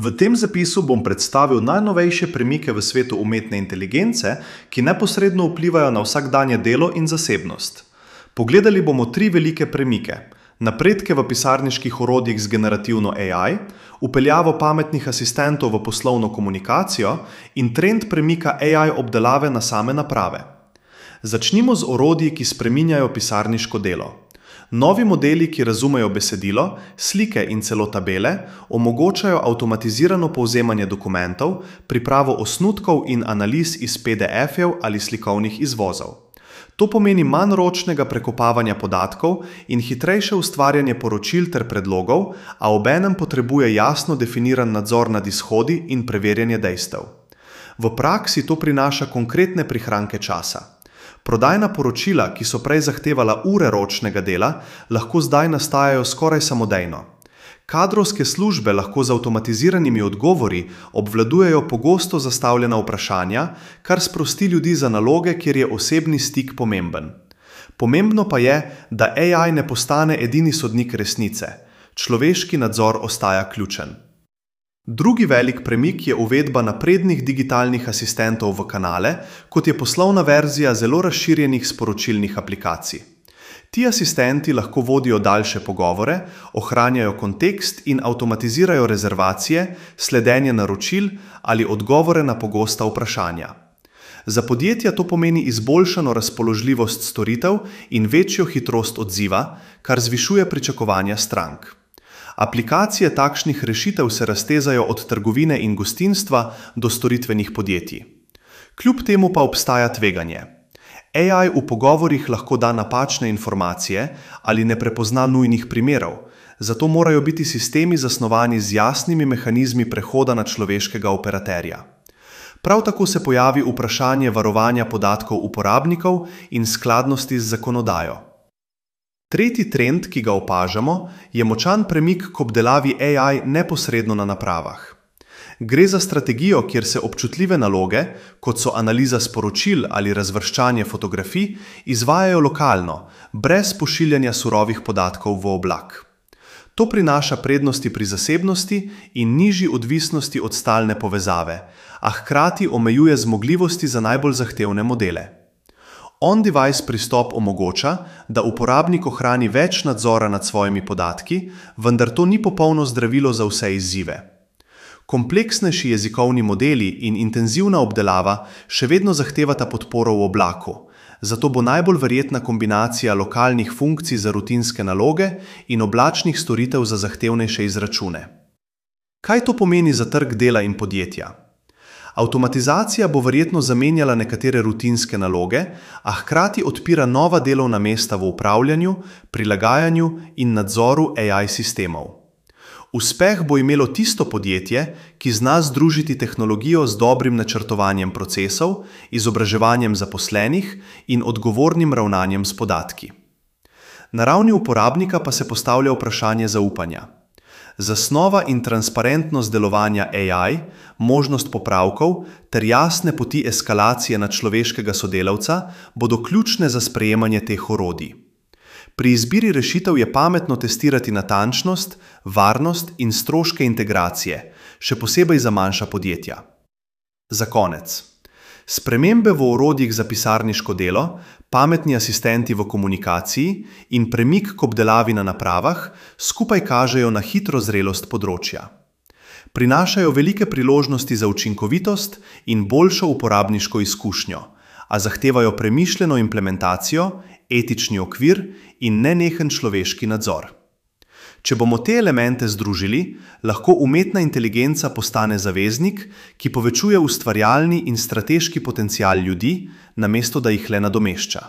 V tem zapisu bom predstavil najnovejše premike v svetu umetne inteligence, ki neposredno vplivajo na vsakdanje delo in zasebnost. Pogledali bomo 3 velike premike: napredke v pisarniških orodjih z generativno AI, vpeljavo pametnih asistentov v poslovno komunikacijo in trend premika AI obdelave na same naprave. Začnimo z orodji, ki spreminjajo pisarniško delo. Novi modeli, ki razumejo besedilo, slike in celo tabele, omogočajo avtomatizirano povzemanje dokumentov, pripravo osnutkov in analiz iz PDF-jev ali slikovnih izvozov. To pomeni manj ročnega prekopavanja podatkov in hitrejše ustvarjanje poročil ter predlogov, a obenem potrebuje jasno definiran nadzor nad izhodi in preverjanje dejstev. V praksi to prinaša konkretne prihranke časa. Prodajna poročila, ki so prej zahtevala ure ročnega dela, lahko zdaj nastajajo skoraj samodejno. Kadrovske službe lahko z avtomatiziranimi odgovori obvladujejo pogosto zastavljena vprašanja, kar sprosti ljudi za naloge, kjer je osebni stik pomemben. Pomembno pa je, da AI ne postane edini sodnik resnice. Človeški nadzor ostaja ključen. Drugi velik premik je uvedba naprednih digitalnih asistentov v kanale, kot je poslovna verzija zelo razširjenih sporočilnih aplikacij. Ti asistenti lahko vodijo daljše pogovore, ohranjajo kontekst in avtomatizirajo rezervacije, sledenje naročil ali odgovore na pogosta vprašanja. Za podjetja to pomeni izboljšano razpoložljivost storitev in večjo hitrost odziva, kar zvišuje pričakovanja strank. Aplikacije takšnih rešitev se raztezajo od trgovine in gostinstva do storitvenih podjetij. Kljub temu pa obstaja tveganje. AI v pogovorih lahko da napačne informacije ali ne prepozna nujnih primerov, zato morajo biti sistemi zasnovani z jasnimi mehanizmi prehoda na človeškega operaterja. Prav tako se pojavi vprašanje varovanja podatkov uporabnikov in skladnosti z zakonodajo. Tretji trend, ki ga opažamo, je močan premik k obdelavi AI neposredno na napravah. Gre za strategijo, kjer se občutljive naloge, kot so analiza sporočil ali razvrščanje fotografij, izvajajo lokalno, brez pošiljanja surovih podatkov v oblak. To prinaša prednosti pri zasebnosti in nižji odvisnosti od stalne povezave, a hkrati omejuje zmogljivosti za najbolj zahtevne modele. On-device pristop omogoča, da uporabnik ohrani več nadzora nad svojimi podatki, vendar to ni popolno zdravilo za vse izzive. Kompleksnejši jezikovni modeli in intenzivna obdelava še vedno zahtevata podporo v oblaku, zato bo najbolj verjetna kombinacija lokalnih funkcij za rutinske naloge in oblačnih storitev za zahtevnejše izračune. Kaj to pomeni za trg dela in podjetja? Avtomatizacija bo verjetno zamenjala nekatere rutinske naloge, a hkrati odpira nova delovna mesta v upravljanju, prilagajanju in nadzoru AI sistemov. Uspeh bo imelo tisto podjetje, ki zna združiti tehnologijo z dobrim načrtovanjem procesov, izobraževanjem zaposlenih in odgovornim ravnanjem s podatki. Na ravni uporabnika pa se postavlja vprašanje zaupanja. Zasnova in transparentnost delovanja AI, možnost popravkov ter jasne poti eskalacije na človeškega sodelavca bodo ključne za sprejemanje teh orodij. Pri izbiri rešitev je pametno testirati natančnost, varnost in stroške integracije, še posebej za manjša podjetja. Za konec. Spremembe v orodjih za pisarniško delo, pametni asistenti v komunikaciji in premik k obdelavi na napravah skupaj kažejo na hitro zrelost področja. Prinašajo velike priložnosti za učinkovitost in boljšo uporabniško izkušnjo, a zahtevajo premišljeno implementacijo, etični okvir in nenehen človeški nadzor. Če bomo te elemente združili, lahko umetna inteligenca postane zaveznik, ki povečuje ustvarjalni in strateški potencial ljudi, namesto da jih le nadomešča.